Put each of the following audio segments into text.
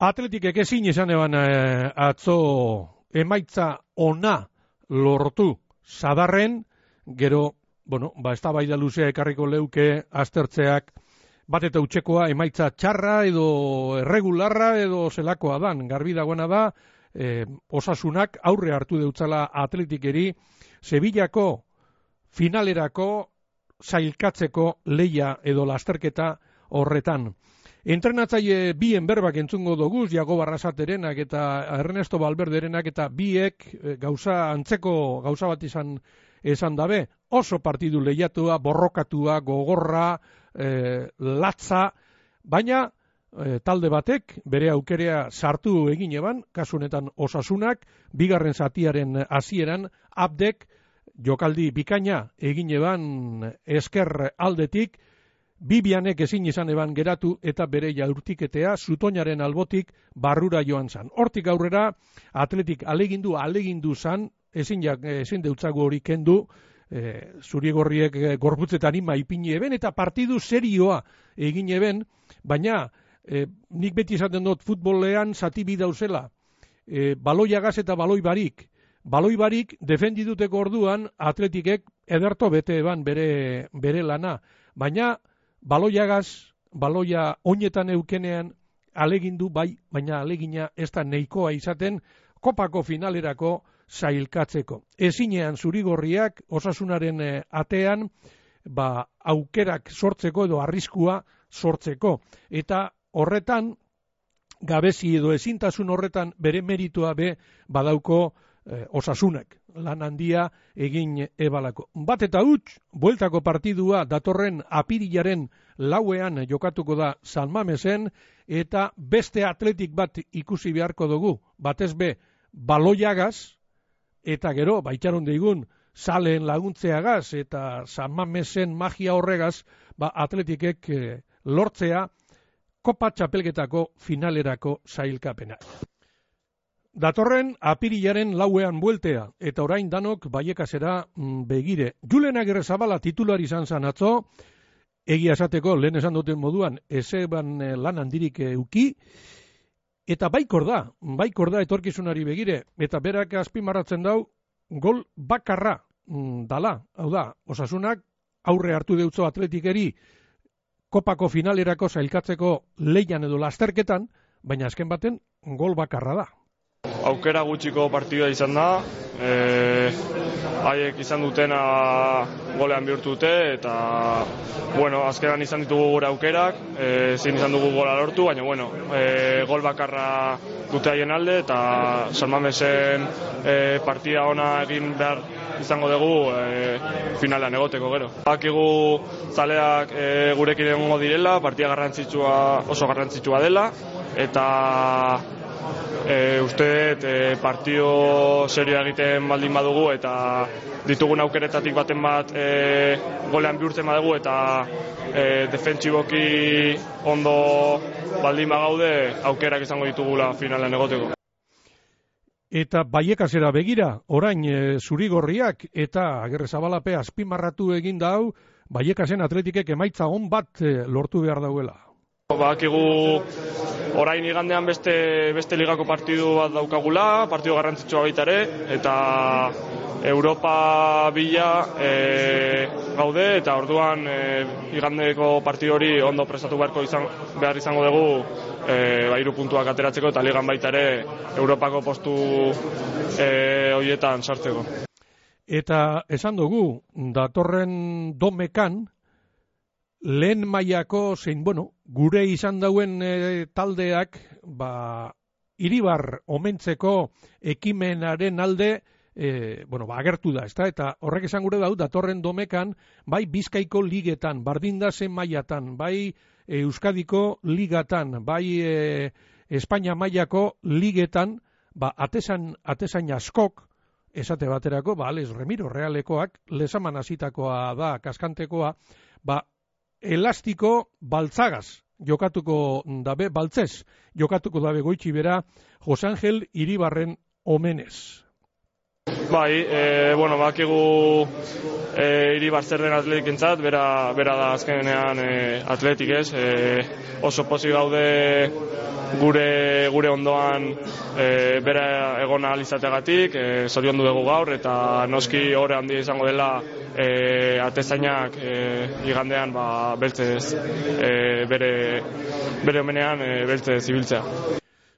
Atletikek ezin izan eban atzo emaitza ona lortu Sadarren, gero, eztabaida luzea ekarriko leuke aztertzeak bat eta utxekoa emaitza txarra edo erregularra edo zelakoa dan. Garbi dagoena da, Osasunak aurre hartu deutzala Atletikeri Sevillako finalerako sailkatzeko leia edo lasterketa horretan. Entrenatzaile bien berbak entzungo doguz, Iago Barrasaterenak eta Ernesto Valverderenak, eta biek antzeko gauza bat esan dabe, oso partidu lehiatua, borrokatua, gogorra, latza, baina talde batek bere aukerea sartu egin eban, kasu honetan Osasunak, bigarren zatiaren hasieran Abdek jokaldi bikaina egin eban esker aldetik, Bibianek ezin izan eban geratu eta bere jaurtiketea Zutoinaren albotik barrura joan zan. Hortik aurrera Atletik alegindu zan, ezin deutzago hori kendu, zurigorriek gorputzetan ima ipini eben eta partidu serioa egin eben, baina nik beti esaten dut futbolean zati bi dauzela, baloiagaz eta baloi barik defendiduteko orduan Atletikek ederto bete eban bere lana, baina baloia oinetan eukenean alegindu bai, baina alegina ez da neikoa izaten kopako finalerako sailkatzeko. Ezinean zurigorriak Osasunaren atean aukerak sortzeko edo arriskua sortzeko. Eta horretan, gabezi edo ezintasun horretan bere meritua badauko Osasunak. Lan handia egin ebalako. Bat eta huts, bueltako partidua datorren apirilaren 4ean jokatuko da San Mamesen, eta beste Atletik bat ikusi beharko dugu, batez baloiagaz, eta gero, baitxaron deigun, saleen laguntzeagaz, eta San Mamesen magia horregaz, Atletikek lortzea Kopa Txapelketako finalerako sailkapena. Datorren apirilaren 4ean bueltea, eta orain danok Baiekasera begire. Julen Agirrezabala titular izan zan atzo, egia esateko lehen esan duten moduan, ezeban lan handirik euki, eta baikor da etorkizunari begire, eta berak azpimarratzen dau, gol bakarra dala, hau da, Osasunak aurre hartu deutzo Atletikeri kopako finalerako sailkatzeko leian edo lasterketan, baina azken baten gol bakarra da. Aukera gutxiko partidua izan da, haiek izan dutena golean bihurtu dute, eta azkenan izan ditugu gure aukerak, ezin izan dugu gola lortu, baina gol bakarra dute haien alde, eta San Mamesen partida ona egin behar izango dugu finalean egoteko gero. Bakigu zaleak gurekin egongo direla, partida oso garrantzitsua dela, eta uste partio serioa egiten baldin badugu eta ditugun aukeretatik baten bat golean bihurtzen badugu eta defentsiboki ondo baldin bagaude aukerak izango ditugula finalean egoteko. Eta Baiekasera begira, orain zurigorriak eta Agirrezabalape azpimarratu egin dau, Baiekasen Atletikek emaitza on bat lortu behar dauela. Bakigu orain igandean beste ligako partidu bat daukagula, partidu garrantzitsua baita ere, eta Europa bila gaude, eta orduan igandeko partidu hori ondo prestatu behar izango dugu 3 puntuak ateratzeko, eta ligan baita ere Europako postu horietan sartzeko. Eta esan dugu, datorren domekan, lehen mailako zein, gure izan dauen taldeak, Iribar omentzeko ekimenaren alde, agertu da, ezta? Eta horrek esan gure dau, datorren domekan, bai Bizkaiko ligetan, bardindazen mailatan, bai Euskadiko ligatan, bai Espainia mailako ligetan, atezain askok, esate baterako, Alex Remiro Realekoak, lezaman hasitakoa da, kaskantekoa, elastiko baltzagaz jokatuko dabe, baltzez jokatuko dabe goitxi bera Jose Angel Iribarren omenez. Bai, bakigu Iribar zer den atletikentzat, bera da azkenean atletik ez, oso pozik gaude gure ondoan bera egon ahal izateagatik, zoriondu dugu gaur, eta noski ore handia izango dela atezainak igandean beltzez bere omenean beltzez ibiltzea.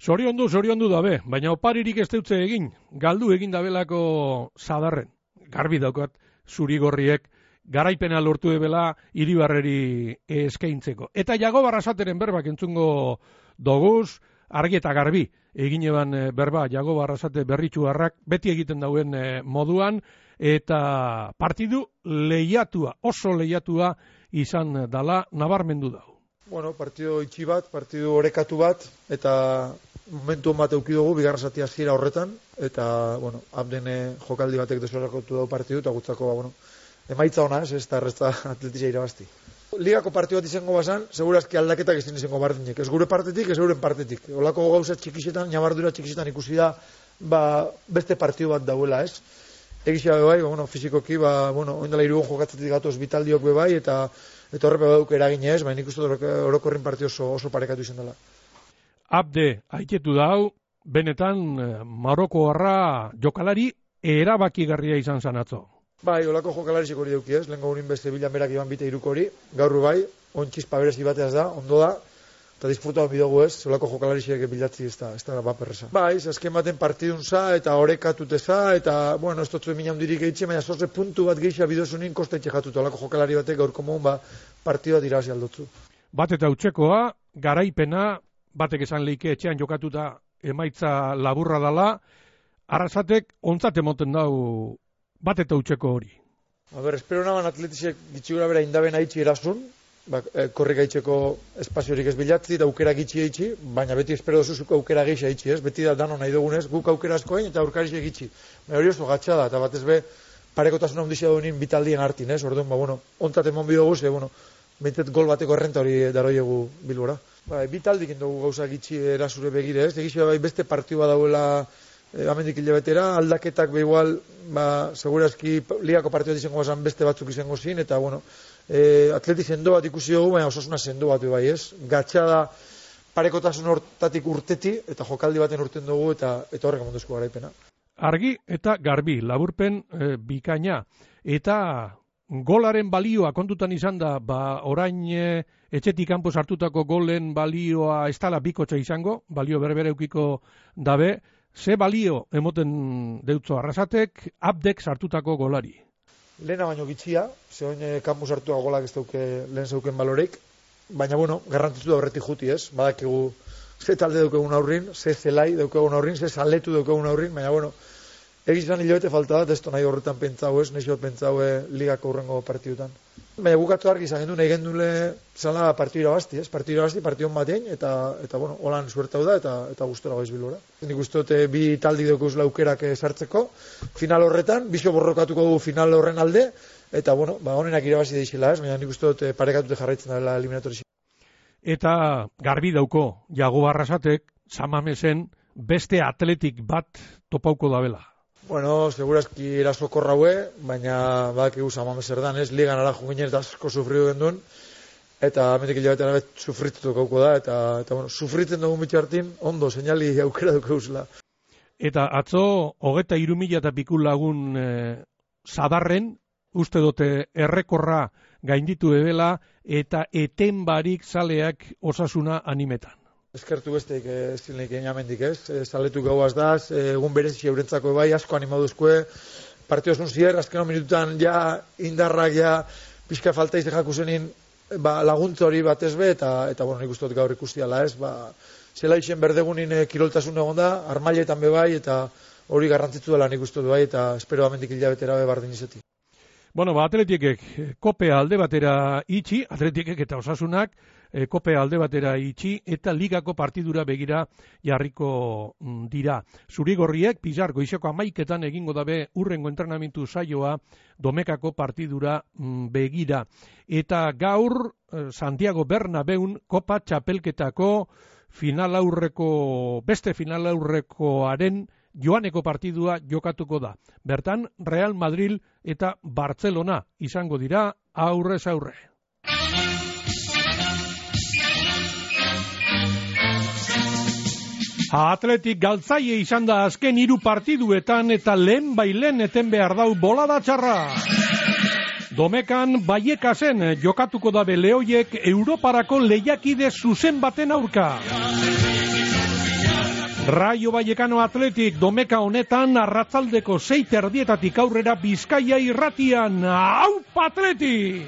Zoriondu dabe, baina oparirik ez deutze egin, galdu egin dabelako Sadarren. Garbi daukat zurigorriek garaipena lortu debela Iribarreri eskaintzeko. Eta Jagoba Arrasateren berbak entzungo doguz, argi eta garbi egin eban berba Jagoba Arrasate berritxuarrak beti egiten dauen moduan, eta partidu lehiatua, oso lehiatua izan dala nabarmendu dau. Bueno, partidu itxi bat, partidu orekatu bat, eta momentu bat eukidugu, bigarra zati hasiera horretan, eta, Abden jokaldi batek desorakotu dau partidu, eta gutzako, emaitza ona, ez da errezta atletizia irabazti. Ligako partidu bat izango bazan, segurazki aldaketak ez izango bardinek, ez gure partetik, ez euren partetik. Olako gauza txikisetan, ñabardura txikisetan ikusi da, beste partidu bat dauela, ez? Egizia bebai, fizikoki, oindala irugon jokatzetik gatoz bitaldiok bebai, eta horrepe baduk eraginez, baina ikustu orokorrin partidu oso parekatu izan dela. Abde, haiketu dau, benetan Marokoarra jokalari erabakigarria izan zanatzo. Bai, olako jokalari hori duki ez, lehen gaurin beste bilan berak iban bite irukori, gaur bai, ontxizpa berezi bateaz da, ondo da, eta disfruta hon bidogu ez, olako jokalari bilatzi ez da baperreza. Bai, azken baten partidun za, eta orekatute za, eta, ez dutzu emina hundirik eitxe, baina zorze puntu bat geisha bidozunin kostetxe jatutu, olako jokalari batek gaur komun, partidu bat irabazi aldotzu. Bat eta utxekoa, garaipena, batek esan leike etxean jokatuta emaitza laburra dala, Arrasatek ontzat emoten dau bat eta utxeko hori. Espero naban atletizek gitxigura bera indaben haitxi erasun, korrik aitzeko espaziorik ez bilatzi, da aukera gitxi eitxi, baina beti espero dozuzuko aukera geisha eitxi, ez? Beti da dano nahi dugunez, guk aukera askoen eta aurkarixe gitxi. Baina hori oso gatsa da, eta batez be, parekotasuna ondizia duenin bitaldien hartin, ez? Orduan, ontzat emon bidogu, behintzat gol bateko errenta hori daroiegu Bilbora. Bitaldik indogu gauza gitxi erasure begire, ez? Egizia beste partidua dauela amendik hilabetera, aldaketak igual, segurazki ligako partidua izango bazan beste batzuk izango zin, eta atleti sendo bat ikusi dugu, baina osasuna sendo bat bai, ez? Gatsa da parekotasun hortatik urteti, eta jokaldi baten urten dugu, eta horrek amonduzko garaipena. Argi eta garbi, laburpen bikaina, eta golaren balioa kontutan izan da, orain etxetik kanpo sartutako golen balioa ez dala bikotxa izango, balio berbere eukiko dabe, ze balio emoten deutzo Arrasatek, Abdek sartutako golari? Lehena baino gitxia, zehoin kanpo sartua golak ez dauke lehen zeuken baloreik, baina garrantzitu da horretik juti ez, badakigu ze talde daukegun aurrin, ze zelai daukegun aurrin, ze zaletu daukegun aurrin, baina egizan hilabete falta da, ez nahi horretan pentsau ez, nahi pentsau ligako urrengo partidutan. Baina gukatu argi izan gendu, nahi gendule zala partidu irabazti, ez? Partidu irabazti, partidun batein, eta holan suertau da, eta gustora goiz Bilbora. Nik uste dute bi taldik daukuz laukerak sartzeko, final horretan, biso borrokatuko dugu final horren alde, eta honenak irabazi deixela, ez? Baina nik uste dute parekatute jarraitzen dela eliminatori. Eta garbi dauko, Jagoba Arrasatek, Samamesen beste atletik bat topauko dabela. Segurazki erasokorra hue, baina badakigu Samames erdan, ez? Ligan ara junginen eta asko sufridu gendun, eta amendik hilabetean abet sufritutu gauko da, eta sufritzen dugun bitxartin, ondo, seinali aukera duke uzela. Eta atzo, 23.000 eta piku lagun Sadarren, uste dute errekorra gainditu ebela, eta eten barik zaleak Osasuna animetan. Eskertu besteik ez zilenik amendik ez, zaletu gauaz daz, egun berezi eurentzako bai, asko animaduzkoe, partio esun zier, azkeno minututan ja indarrak ja pixka falta izte jakusenin laguntza hori batez be, eta nik uste dut gaur ikustiala ez, zela isen berdegunin kiroltasun egon da, armailetan be bai, eta hori garrantzitzu dela nik uste dut bai, eta espero amendik hilabetera be bardin izeti. Atletikek kopea alde batera itxi, atletikek eta Osasunak, kopea alde batera itxi eta ligako partidura begira jarriko dira. Zurigorriek Pizar goizeko 11etan egingo dabe urrengo entrenamentu saioa Domekako partidura begira. Eta gaur Santiago Bernabeun kopa txapelketako beste finalaurrekoaren joaneko partidua jokatuko da. Bertan, Real Madrid eta Barcelona izango dira aurrez aurre. Atletik galtzaile izan da azken 3 partiduetan eta lehen bailen eten behar dau bolada txarra. Domekan Baiekasen jokatuko dabe lehoiek Europarako lehiakide zuzen baten aurka. Rayo Vallecano Atletik Domeka honetan arratzaldeko 6:30 aurrera Bizkaia irratian. Aupa Atletik!